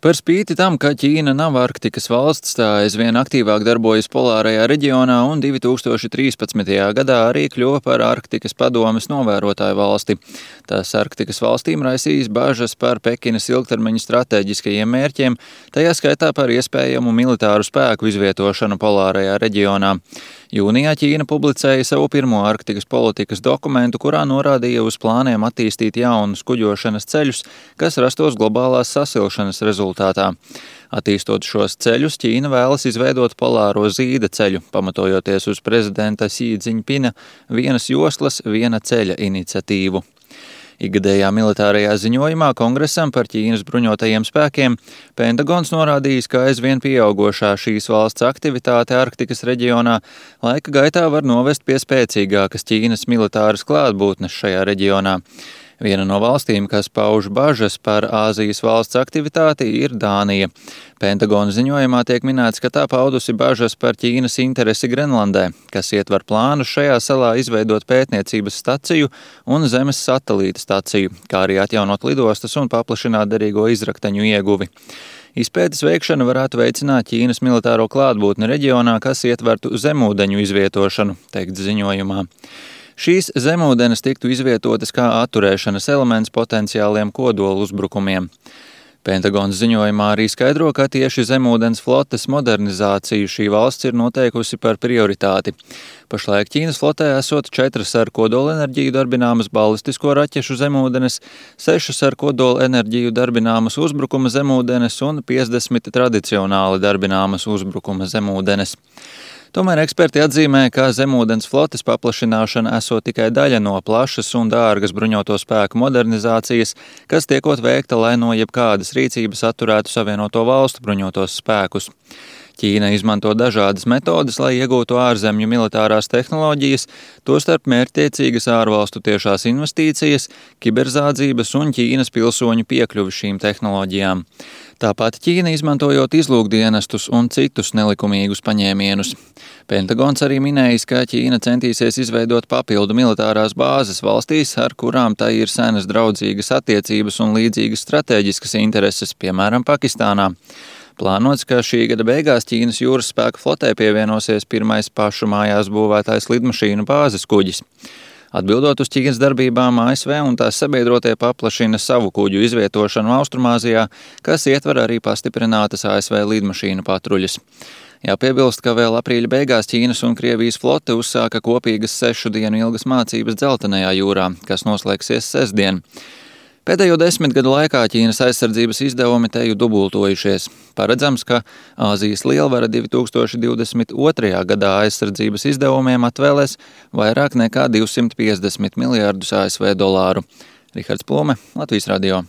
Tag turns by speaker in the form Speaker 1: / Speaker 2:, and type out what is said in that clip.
Speaker 1: Par spīti tam, ka Ķīna nav Arktikas valsts, tā aizvien aktīvāk darbojas polārajā reģionā un 2013. gadā arī kļuva par Arktikas padomes novērotāju valsti. Tās Arktikas valstīm raisīs bažas par Pekinas ilgtermiņa stratēģiskajiem mērķiem, tajā skaitā par iespējamu militāru spēku izvietošanu polārajā reģionā. Jūnijā Ķīna publicēja savu pirmo Arktikas politikas dokumentu, kurā norādīja uz plāniem attīstīt jaunus kuģošanas ceļus, kas rastos globālās sasilšanas rezultātā. Attīstot šos ceļus, Ķīna vēlas izveidot polāro zīda ceļu, pamatojoties uz prezidenta Xi Džiņpina vienas joslas, viena ceļa iniciatīvu. Ikgadējā militārajā ziņojumā Kongresam par Ķīnas bruņotajiem spēkiem Pentagons norādījis, ka aizvien pieaugošā šīs valsts aktivitāte Arktikas reģionā laika gaitā var novest pie spēcīgākas Ķīnas militāras klātbūtnes šajā reģionā. Viena no valstīm, kas pauž bažas par Āzijas valsts aktivitāti, ir Dānija. Pentagona ziņojumā tiek minēts, ka tā paudusi bažas par Ķīnas interesi Grenlandē, kas ietver plānu šajā salā izveidot pētniecības staciju un zemes satelīta staciju, kā arī atjaunot lidostas un paplašināt derīgo izrakteņu ieguvi. Izpētes veikšana varētu veicināt Ķīnas militāro klātbūtni reģionā, kas ietvertu zemūdeņu izvietošanu, teikts ziņojumā. Šīs zemūdenes tiktu izvietotas kā atturēšanas elements potenciāliem kodolu uzbrukumiem. Pentagons ziņojumā arī skaidro, ka tieši zemūdens flotes modernizāciju šī valsts ir noteikusi par prioritāti. Pašlaik Ķīnas flotē esot 4 ar kodolenerģiju darbināmas balistisko raķešu zemūdenes, 6 ar kodolenerģiju darbināmas uzbrukuma zemūdenes un 50 tradicionāli darbināmas uzbrukuma zemūdenes. Tomēr eksperti atzīmē, ka zemūdens flotes paplašināšana esot tikai daļa no plašas un dārgas bruņoto spēku modernizācijas, kas tiekot veikta, lai no jebkādas rīcības atturētu Savienoto valstu bruņotos spēkus. Ķīna izmanto dažādas metodes, lai iegūtu ārzemju militārās tehnoloģijas, tostarp mērķtiecīgas ārvalstu tiešās investīcijas, kiberzādzības un Ķīnas pilsoņu piekļuvi šīm tehnoloģijām. Tāpat Ķīna izmantojot izlūkdienestus un citus nelikumīgus paņēmienus. Pentagons arī minējis, ka Ķīna centīsies izveidot papildu militārās bāzes valstīs, ar kurām tai ir senas draudzīgas attiecības un līdzīgas stratēģiskas intereses, piemēram, Pakistānā. Plānots, ka šī gada beigās Ķīnas jūras spēku flotē pievienosies pirmais pašu mājās būvētais lidmašīnu bāzes kuģis. Atbildot uz Ķīnas darbībām, ASV un tās sabiedrotie paplašina savu kuģu izvietošanu Austrumāzijā, kas ietver arī pastiprinātas ASV lidmašīnu patruļas. Jāpiebilst, ka vēl aprīļa beigās Ķīnas un Krievijas flote uzsāka kopīgas 6 dienu ilgas mācības Dzeltenajā jūrā, kas noslēgsies sestdien. Pēdējo 10 gadu laikā Ķīnas aizsardzības izdevumi teju dubultojušies. Paredzams, ka Āzijas lielvara 2022. gadā aizsardzības izdevumiem atvēlēs vairāk nekā 250 miljārdus ASV dolāru. Rihards Plume, Latvijas radio.